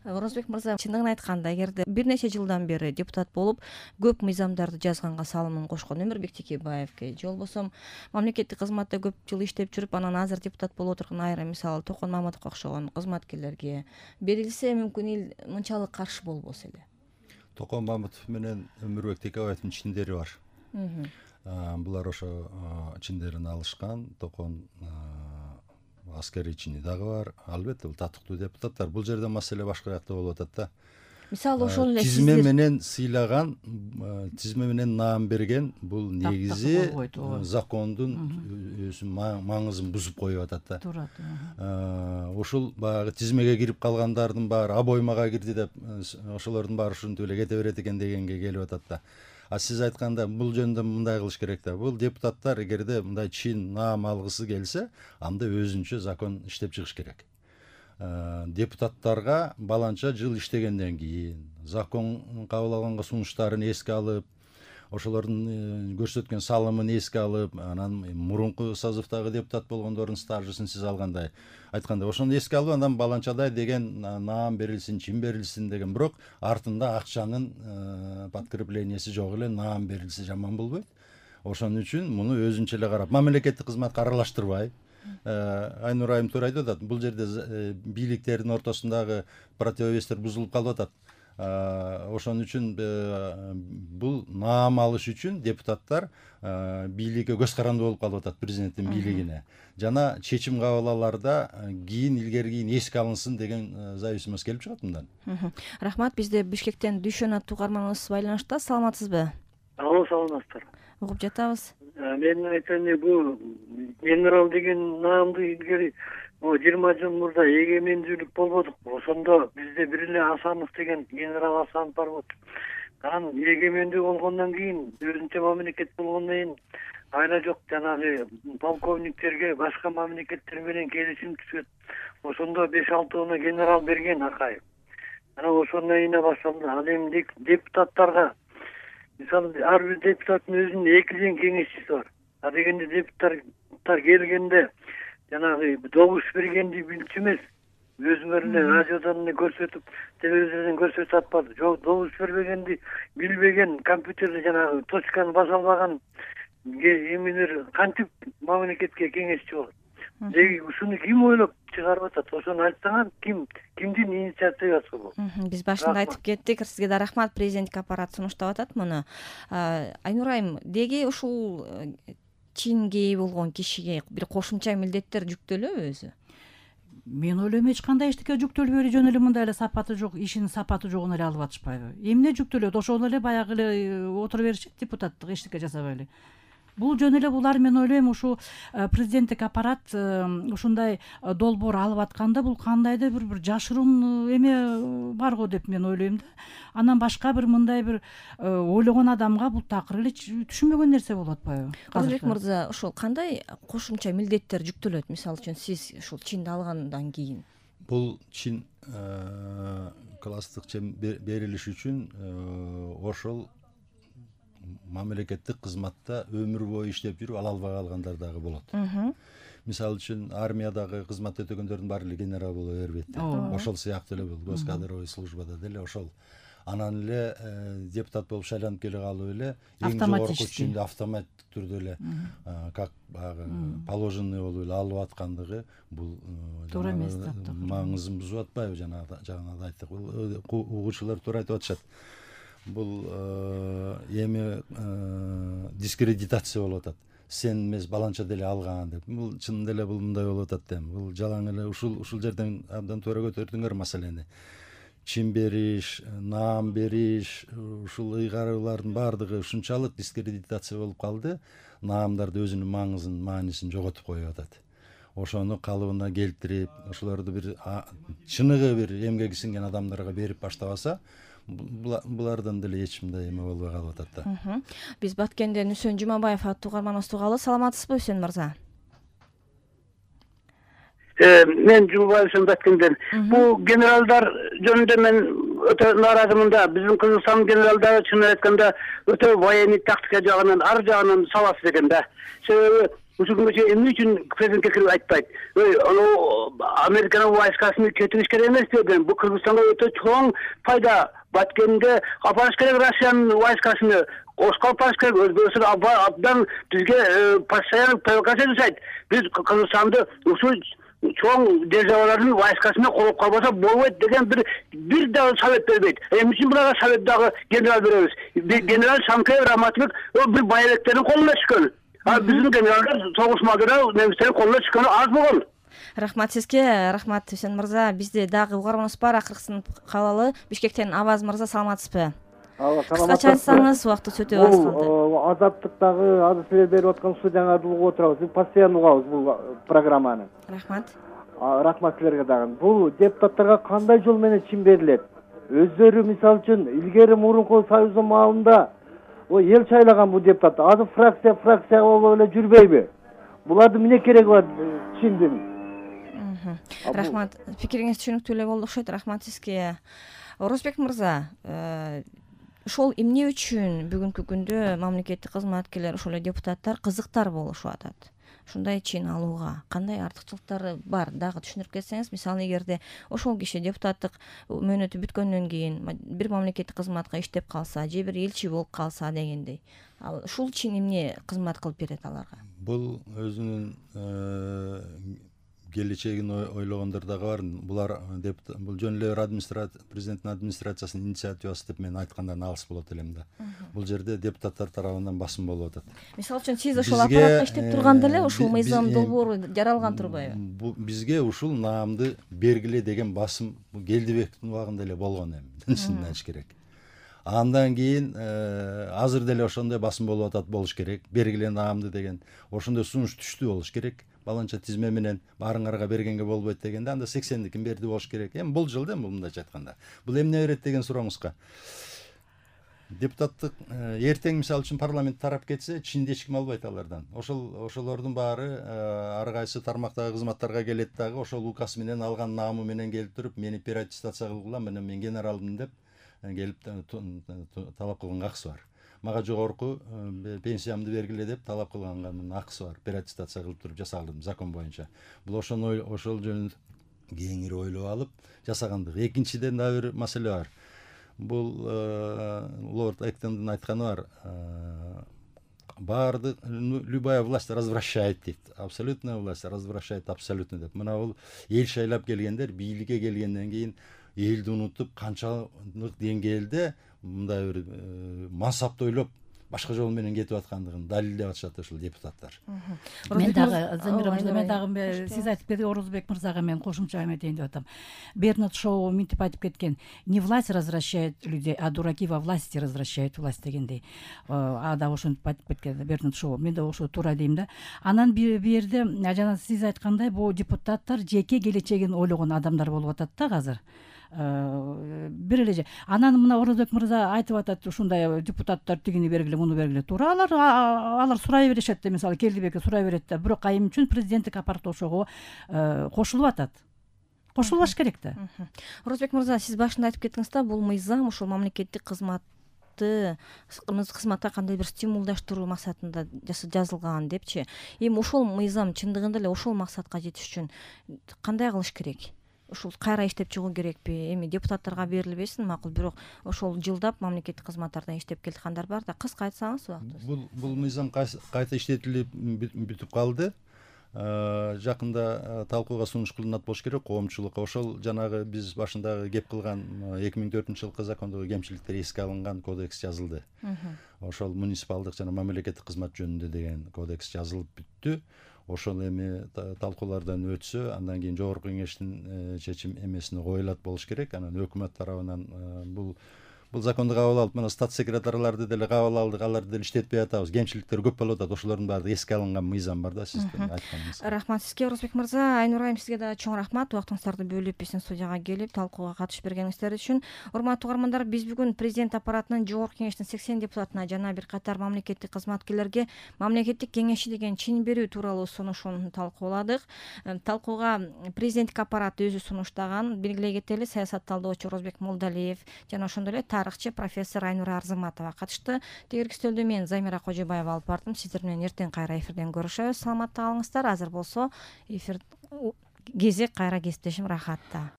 Орозбек мырза, чындыгын айтканда, эгерде бир нече жылдан бери депутат болуп, көп мыйзамдарды жазганга салымын кошкон Өмүрбек Текебаевге, же болбосо мамлекеттик кызматта көп жыл иштеп жүрүп, анан азыр депутат болуп отурган айрым, мисалы Токон Маматовго окшогон кызматкерлерге берилсе, мүмкүн эл мынчалык каршы болбосо эле. Токон Маматов менен Өмүрбек Текебаевдин чиндери бар. Булар ошо чиндерин алышкан. Токон аскерий чини дагы бар. Албетте бул татыктуу депутаттар. Бул жерде маселе башка жакта болуп атат да. Мисалы ошол эле тизме менен сыйлаган, тизме менен наам берген, бул негизи закондун маңызын бузуп коюп атат да. Турат. Ошол баягы тизмеге кирип калгандардын баары обоймага кирди деп, ошолордун баары ушинтип эле кете берет экен дегенге келип атат да. Сиз айтканда бул жөнүндө мындай кылыш керек да. Бул депутаттар эгерде мындай чин наам алгысы келсе, анда өзүнчө закон иштеп чыгыш керек. Депутаттарга баланча жыл иштегенден кийин закон кабыл алганга сунуштарын эске алып, ошолордун көрсөткөн салымын эске алып, анан мурунку созывдагы депутат болгондордун стажысын сиз алгандай айтканда, ошону эске алып, андан баланчадай деген наам берилсин, чин берилсин деген, бирок артында акчанын подкрепленияси жок эле наам берилсе жаман болбойт. Ошон үчүн муну өзүнчө эле карап, мамлекеттик кызматка аралаштырбай, Айнур айым туура айтып атат. Бул жерде бийликтердин ортосундагы противовестер бузулуп калып атат. Ошон үчүн бул наам алыш үчүн депутаттар бийликке көз каранды болуп калып атат, президенттин бийлигине. Жана чечим кабыл алаарда кийин илгери кийин эске алынсын деген зависимость келип чыгат мындан. Рахмат. Бизде Бишкектен Дүйшөн аттуу угарманыбыз байланышта. Саламатсызбы? Алло, саламатсыздар. Угуп жатабыз. Мен айтайын, бул генерал деген наамды илгери 20 жыл мурда эгемендүүлүк болбодук. Ошондо бизде бир эле Асанов деген генерал Асанов бар болду. Анан эгемендүү болгондон кийин, өзүнчө мамлекет болгондон кийин айла жок жанагы полковниктерге башка мамлекеттер менен келишим түзөт. Ошондо 5-6 генерал берген Акаев. Анан ошондон кийин башталды. Ал эми депутаттарга, мисалы, ар бир депутаттын өзүнүн 2 кеңешчиси бар. Дегенде депутаттар келгенде жанагы добуш бергенди билчү эмес, өзүңөр эле радиодон эле көрсөтүп, телевизордон көрсөтүп атпады. Жок, добуш бербегенди билбеген, компьютерде жанагы точканы баса албаган эмелер кантип мамлекетке кеңешчи болот? Деги ушуну ким ойлоп чыгарып атат? Ошону айтсаңар, кимдин инициативасы бул? Биз башында айтып кеттик. Сизге да рахмат. Президенттик аппарат сунуштап атат муну. Айнур айым, деги ушул чинге ээ болгон кишиге бир кошумча милдеттер жүктөлөбү өзү? Мен ойлойм, эч кандай эчтеке жүктөлбөй эле, жөн эле мындай эле сапаты жок, ишинин сапаты жогун эле алып атышпайбы? Эмне жүктөлөт? Ошол эле баягы эле отура беришет, депутаттык эчтеке жасабай эле. Бул жөн эле булар, мен ойлойм, ушу президенттик аппарат ушундай долбоор алып атканда, бул кандайдыр бир жашыруун эме бар го деп мен ойлойм да. Анан башка бир мындай бир ойлогон адамга бул такыр эле түшүнбөгөн нерсе болуп атпайбы? Орозбек мырза, ошол кандай кошумча милдеттер жүктөлөт? Мисалы үчүн сиз ушул чинди алгандан кийин? Бул чин класстык чин берилиш үчүн ошол мамлекеттик кызматта өмүр бою иштеп жүрүп ала албай калгандар дагы болот. Мисалы үчүн армиядагы кызмат өтөгөндөрдүн баары эле генерал боло бербейт. Ошол сыяктуу эле бул госкадровый службада деле ошол. Анан эле депутат болуп шайланып келе калып эле эң жогорку чинди автоматтык түрдө эле как баягы положенный болуп эле алып аткандыгы бул туура эмес да. Маңызын бузуп атпайбы? Жана айттык, угуучулар туура айтып атышат. Бул эми дискредитация болуп атат. Сен эмес, баланча деле алган деп. Бул чынында эле бул мындай болуп атат да. Бул жалаң эле ушул жерден абдан туура көтөрдүңөр маселени. Чин бериш, наам бериш, ушул ыйгаруулардын баардыгы ушунчалык дискредитация болуп калды. Наамдарды өзүнүн маңызын, маанисин жоготуп коюп атат. Ошону калыбына келтирип, ошолорду бир чыныгы бир эмгеги сиңген адамдарга берип баштабаса, булардан деле эч мындай эме болбой калып атат да. Биз Баткенден Үсөн Жумабаев аттуу угарманыбыз тугалы. Саламатсызбы, Үсөн мырза? Мен Жумабаев Баткенден. Бул генералдар жөнүндө мен өтө нааразымын да. Биздин Кыргызстан генералдары чын айтканда өтө военный тактика жагынан, ар жагынан сабасыз экен да. Себеби ушул күнгө чейин эмне үчүн президентке кирип айтпайт? Анау Американын войскасын кетириш керек эмес деген. Бул Кыргызстанга өтө чоң пайда. Баткенде апарыш керек Россиянын войскасыны. Ошко апарыш керек. Өзбекстан абдан бизге постоянно провокация жасайт. Биз Кыргызстанды ушул чоң державалардын войскасына колоп калбаса болбойт деген бир дагы совет бербейт. Эмне үчүн буларга совет дагы генерал беребиз? Генерал Шанкеев, Раматбек бир байбектердин колуна түшкөн. Биздин генералдар согушмада немистердин колуна түшкөнү аз болгон. Рахмат сизге, рахмат Хусейн мырза. Бизде дагы угарманыбыз бар, акыркысын калалы. Бишкектен Аваз мырза, саламатсызбы? Кыскача айтсаңыз, убактыбыз өтө аз калды. Азаттыктагы азыр силер берип аткан студияңарды угуп отурабыз. Биз постоянно угабыз бул программаны. Рахмат. Рахмат силерге дагы. Бул депутаттарга кандай жол менен чим берилет? Өздөрү мисалы үчүн илгери мурунку союздун маалында эл шайлаган бул депутат. Азыр фракция болуп эле жүрбөйбү? Булардын эмне кереги бар чиндин? Рахмат. Пикириңиз түшүнүктүү эле болду окшойт. Рахмат сизге. Орозбек мырза, ошол эмне үчүн бүгүнкү күндө мамлекеттик кызматкерлер, ошол эле депутаттар кызыктар болушуп атат? Ушундай чин алууга кандай артыкчылыктары бар? Дагы түшүндүрүп кетсеңиз, мисалы эгерде ошол киши депутаттык мөөнөтү бүткөндөн кийин бир мамлекеттик кызматка иштеп калса, же бир элчи болуп калса дегендей, ал ушул чин эмне кызмат кылып берет аларга? Бул өзүнүн келечегин ойлогондор дагы бар. Булар бул жөн эле президенттин администрациясынын инициативасы деп мен айткандан алыс болот элем да. Бул жерде депутаттар тарабынан басым болуп атат. Мисалы үчүн сиз ошол аппаратта иштеп турганда эле ушул мыйзам долбоору жаралган турбайбы? Бизге ушул наамды бергиле деген басым Келдибековдун убагында эле болгон эми, чынын айтыш керек. Андан кийин азыр деле ошондой басым болуп атат, болуш керек. Бергиле наамды деген ошондой сунуш түштү болуш керек. Баланча тизме менен баарыңарга бергенге болбойт дегенде анда 80дикин берди болуш керек. Эми бул жылда мындайча айтканда. Бул эмне берет деген сурооңузга. Депутаттык эртең мисалы үчүн парламент тарап кетсе, чинде эч ким албайт алардан. Ошолордун баары ар кайсы тармактагы кызматтарга келет дагы ошол указ менен алган наамы менен келип туруп, мени переаттестация кылгыла, мен генералмын деп келип талап кылганга акысы бар. Мага жогорку пенсиямды бергиле деп талап кылганга акысы бар. Переаттестация кылып туруп жасалдым закон боюнча. Бул ошол жөнүндө кеңири ойлоп алып жасагандык. Экинчиден дагы бир маселе бар. Бул Лорд Эктондун айтканы бар. Баардык любая власть развращает дейт. Абсолютная власть развращает абсолютно деп. Мына бул эл шайлап келгендер бийликке келгенден кийин элди унутуп канчалык деңгээлде мындай бир мансапты ойлоп башка жол менен кетип аткандыгын далилдеп атышат ошол депутаттар. Мен дагы Замира мырза, мен дагы сиз айтып берген Орозбек мырзага мен кошумча эметейин деп атам. Бернард Шоу мынтип айтып кеткен: не власть развращает людей, а дураки во власти развращают власть дегендей. Да ошентип айтып кеткен Бернард Шоу. Мен да ошо туура дейм да. Анан бир жерде жана сиз айткандай бул депутаттар жеке келечегин ойлогон адамдар болуп атат да азыр. Бир эле анан мына Орозбек мырза айтып атат, ушундай депутаттар тигини бергиле, муну бергиле. Туура, алар сурай беришет да, мисалы Келдибекке сурай берет да. Бирок айым үчүн президенттик аппарат ошого кошулуп атат. Кошулбаш керек да. Орозбек мырза, сиз башында айтып кеттиңиз да, бул мыйзам ошол мамлекеттик кызматка кандай бир стимулдаштыруу максатында жазылган депчи. Эми ошол мыйзам чындыгында эле ошол максатка жетиш үчүн кандай кылыш керек? Ушул кайра иштеп чыгуу керекпи? Эми депутаттарга берилбесин, макул, бирок ошол жылдап мамлекеттик кызматтарда иштеп келаткандар бар да, кыска айтсаңыз убактыбыз. Бул мыйзам кайта иштетилип бүтүп калды. Жакында талкууга сунуш кылынат болуш керек коомчулукка. Ошол жанагы биз башындагы кеп кылган 2004-жылкы закондогу кемчиликтер эске алынган кодекс жазылды. Ошол муниципалдык жана мамлекеттик кызмат жөнүндө деген кодекс жазылып бүттү. Ошол эми талкуулардан өтсө, андан кийин жогорку кеңештин чечим эмесине коюлат болуш керек. Анан өкмөт тарабынан бул законду кабыл алып, мына стат секретарларды деле кабыл алдык, аларды деле иштетпей атабыз. Кемчиликтер көп болуп атат. Ошолордун баары эске алынган мыйзам бар да, сиздин айтканыңыз. Рахмат сизге, Орозбек мырза. Айнур айым, сизге да чоң рахмат. Убактыңыздарды бөлүп биздин студияга келип талкууга катышып бергениңиздер үчүн. Урматтуу угармандар, биз бүгүн президент аппаратынын жогорку кеңештин 80 депутатына жана бир катар мамлекеттик кызматкерлерге мамлекеттик кеңешчи деген чин берүү тууралуу сунушун талкууладык. Талкууга президенттик аппарат өзү сунуштаган. Белгилей кетели, саясат талдоочу Орозбек Молдалиев жана ошондой эле тарыхчы профессор Айнура Арзыматова катышты. Тегерки стөлдө мен Замира Кожобаева алып бардым. Сиздер менен эртең кайра эфирден көрүшөбүз. Саламатта калыңыздар. Азыр болсо эфир кезек кайра кесиптешим рахатта.